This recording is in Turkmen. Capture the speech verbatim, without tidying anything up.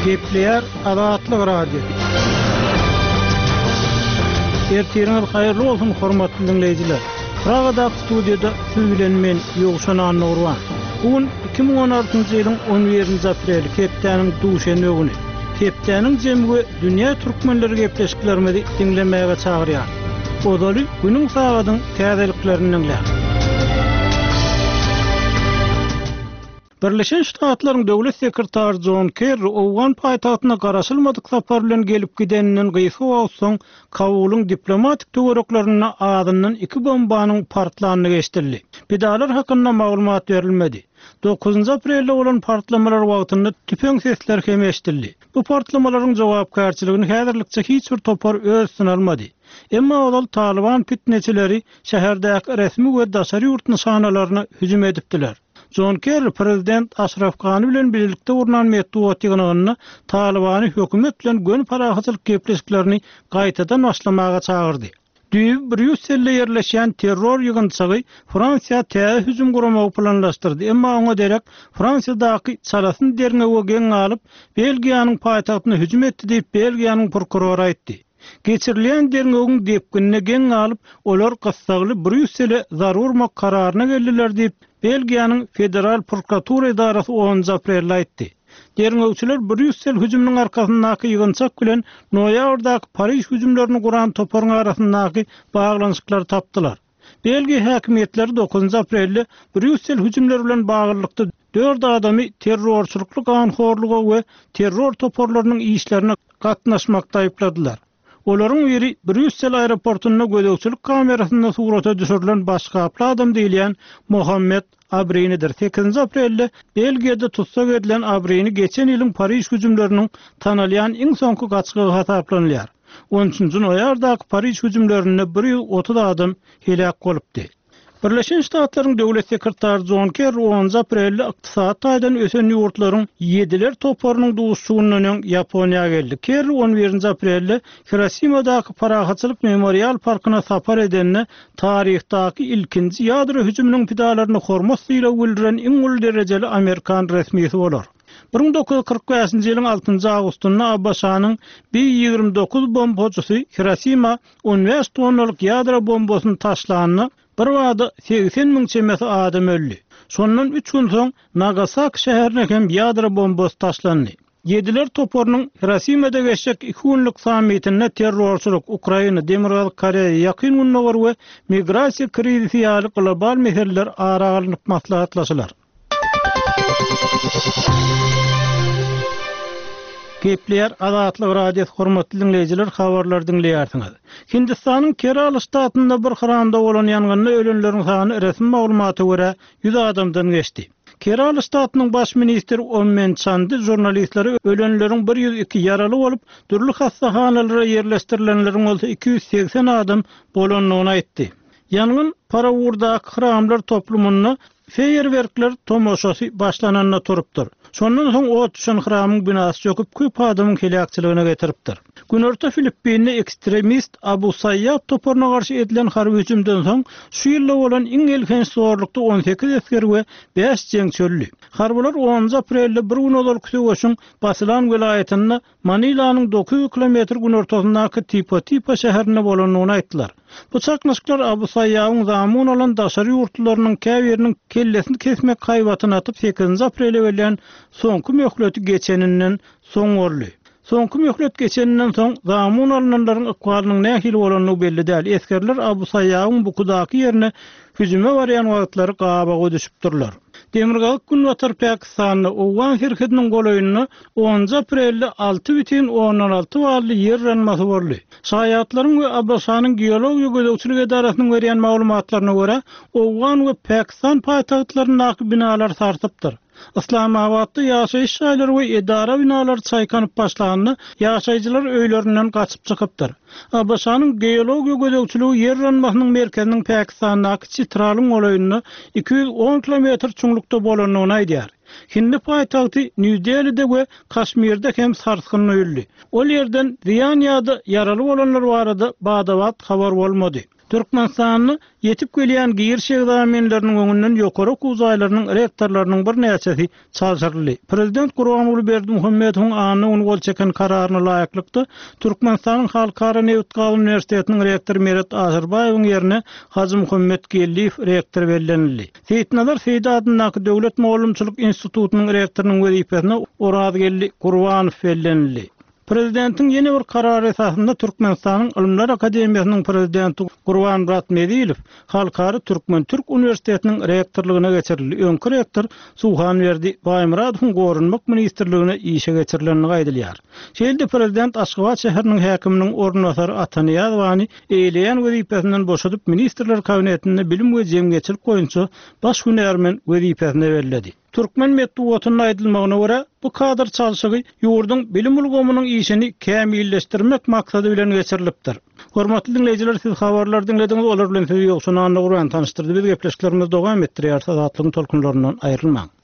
Gepleýär Azatlyk Radiosy. Ertiriňiz haýyrly bolsun, hormatly diňleýjiler. Pragadaky studiýada siz bilen men Ýowşan Annagurban. Bu gün iki müň on altynjy ýylyň on birinji apreli, hepdäniň duşenbe güni. Hepdäniň jemi we dünýä türkmenleri gepleşiklerimizi diňlemäge çagyrýar. Ozaly günüň sagadyň täzeliklerini diňläň. Birleşen Ştatlaryň Döwlet sekretary Jon Kerri Owgan paýtagtyna garaşylmadyk sapar bilen gelip gideninden gysga wagt soň Kabulyň diplomatik töwereklerinde azyndan iki bombanyň partlandygy eşidildi. Pidalar hakynda maglumat berilmedi. Dokuzynjy aprelde bolan partlamalar wagtynda tüpeň sesleri hem eşidildi. Bu partlamalaryň jogapkärçiligini häzirlikçe hiç bir topar öz üstüne almady. Emma ozal Taliban fitneçileri şäherdäki resmi we daşary ýurt nyşanalaryna hüjüm edipdiler. Jon Kerri prezident Aşraf Gani bilen birlikde gurnan metbugat ýygnagynda Talibany hökümet bilen göni parahatçylyk gepleşiklerini gaýtadan başlamaga çagyrdy. Düýbi Brýusselde ýerleşýän terror ýygynçygy Fransiýa täze hüjüm guramagy planlaşdyrdy. Emma oňa derek Fransiýadaky çalasyn derňewe geň galyp, Belgiýanyň paýtagtyna hüjüm etdi diýip Belgiýanyň prokurory aýtdy. Geçirilen derňewiň depginine geň galyp, olar gyssagly Brýussele zarur mak kararyna geldiler diýip Belgiýanyň Federal Prokuratura edarasy onunjy aprelde aýtdy. Derňewçiler Brýussel hüjüminiň arkasyndaky ýygynçak bilen noýabrdaky Pariž hüjümlerini guran toparyň arasyndaky baglanyşyklary tapdylar. Belgiýa häkimiýetleri dokuzynjy aprelde Brýussel hüjümleri bilen baglylykda dört adamy terrorçylykly ganhorluga we terror toparlarynyň işlerine gatnaşmakda aýypladylar. Olaryň biri Brýussel aeroportunda gözegçilik kamerasynda surata düşürilen başgaply adam diýilýän Mohammed Abrinidir. Sekizinji aprelde Belgiýada tutsak edilen Abrini geçen ýylyň Pariž hüjümleriniň tanalýan iň soňky gaçgagy hasaplanylýar. On üçünji noýabrdaky Pariž hüjümlerinde bir ýüz otuz adam heläk bolupdy. Birleşen Ştatlaryň Döwlet sekretary Jon Kerri onunjy aprelde ykdysady taýdan ösen ýurtlaryň ýediler toparynyň duşuşygyndan öň Ýaponiýa geldi. Kerri on birinji aprelde Hirosimadaky Parahatçylyk memorial parkyna sapar edende taryhdaky ilkinji ýadro hüjüminiň pidalaryny hormat sylagy bildiren iň uly derejeli Amerikan resmisi bolar. bir müň dokuz ýüz kyrk bäşinji ýylyň altynjy awgustynda ABŞ-nyň B ýigrimi dokuz bombajysy Hirosima on bäş tonnalyk ýadro bombasyny taşlanda bir bada segsen müň çemesi adam öldi. Şondan üç gün soň Nagasaki şäherine hem ýadro bombasy taşlandy. Ýediler toparynyň Hirosimada geçjek iki günlük sammitinde terrorçylyk, Ukraina, Demirgazyk Koreýa, Ýakyn Gündogar we migrasiýa krizisi ýaly global meseleler ara alnyp maslahatlaşylar. Gepleýär Azatlyk Radiosy, hormatly diňleýjiler, habarlar diňleýärsiňiz. Hindistanyň Kerala ştatynda bir hramda bolan ýangynda ölenleriň sany resmi maglumata görä ýüz adamdan geçdi. Kerala ştatynyň baş ministri Ommen Çandy žurnalistlere ölenleriň bir ýüz iki ýaraly bolup, dürli hassahanalara ýerleşdirilenleriň bolsa iki ýüz segsen adam bolandygyny aýtdy. Ýangyn Parawurdaky hramlar toplumynda feýerwerkler tomaşasy başlananda turupdyr. Şondan soň ot düşen hramyň binasy çöküp, köp adamyň heläkçiligine getiripdir. Günorta Filippinde ekstremist Abu Sayyaf toparyna garşy edilen harby hüjümden soň şu ýylda bolan iň elhenç zorlukda on sekiz esger we bäş jeňçi öldi. Harbylar onunjy aprelde bir gün ozalky söweşiň Basilan welaýatynda Manilanyň dokuz ýüz kilometr günortasyndaky Tipo-Tipo şäherinde bolandygyny aýtdylar. Bu çaknyşyklar Abu Saýýawyň zamun alan daşary ýurtlularynyň käbiriniň kellesini kesmek haýbatyny atyp sekizinji aprele berlen soňky möhleti geçeninden soň boldy. Soňky möhlet geçeninden soň zamun alynanlaryň ykbalynyň nähili bolandygy belli däl. Esgerler Abu Saýýawyň bukudaky ýerine hüjüme barýan wagtlary gabaga düşüpdirler. Demirgazyk Günbatar Pakistanda Owgan serhediniň golaýynda onunjy aprelde alty bütin ondan alty bally ýer yranmasy boldy. Şaýatlaryň we ABŞ-nyň geologiýa gözegçilik edarasynyň berýän maglumatlaryna görä, Owgan we Pakistan paýtagtlaryndaky binalar sarsypdyr. Islamabatda ýaşaýyş jaýlary we edara binalary çaýkanyp başlanda, ýaşaýjylar öýlerinden gaçyp çykypdyr. ABŞ-nyň geologiýa gözegçiligi ýer yranmasynyň merkeziniň Pakistandaky Çitralyň golaýynda iki ýüz on kilometr çuňlukda bolandygyny aýdýar. Hindi paýtagty Nýu-Delide we Kaşmirde hem sarsgyn duýuldy. Ol ýerden zyýan ýa-da ýaraly bolanlar barada bada-bat habar bolmady. Türkmenistanda ýetip gelýän giriş ekzamenleriniň öňünden ýokary okuw jaýlarynyň rektorlarynyň birnäçesi çalşyryldy. Prezident Gurbanguly Berdimuhamedowyň anna güni gol çeken kararyna laýyklykda, Türkmenistanyň Halkara nebit-gaz uniwersitetiniň rektory Meret Aşyrbaýewiň ýerine Hajymuhammet Geldiýew rektor bellenildi. Seýitnazar Seýdi adyndaky Döwlet mugallymçylyk institutynyň rektorynyň wezipesine Orazgeldi Gurbanow bellenildi. Prezidentiň ýene bir karary esasynda Türkmenistanyň Ylymlar akademiýasynyň prezidenti Gurbanmyrat Mezilow Halkara türkmen-türk uniwersitetiniň rektorlygyna geçirildi. Öňki rektor Suhanberdi Baýmyradowyň Goranmak ministrligine işe geçirilendigi aýdylýar. Şeýle-de prezident Aşgabat şäheriniň häkiminiň orunbasary Ata Nyýazowany eýeleýän wezipesinden boşadyp, Ministrler Kabinetinde bilim we jemgyýetçilik boýunça baş hünärmen wezipesine belledi. Türkmen metbugatynda aýdylmagyna görä, bu kadr çalşygy ýurduň bilim ulgamynyň işini kämilleşdirmek maksady bilen geçirilipdir. Hormatly diňleýjiler, siz habarlary diňlediňiz, olar bilen sizi Ýowşan Annagurban tanyşdyrdy. Biz gepleşiklerimizi dowam etdirýäris, Azatlygyň tolkunlaryndan aýrylmaň.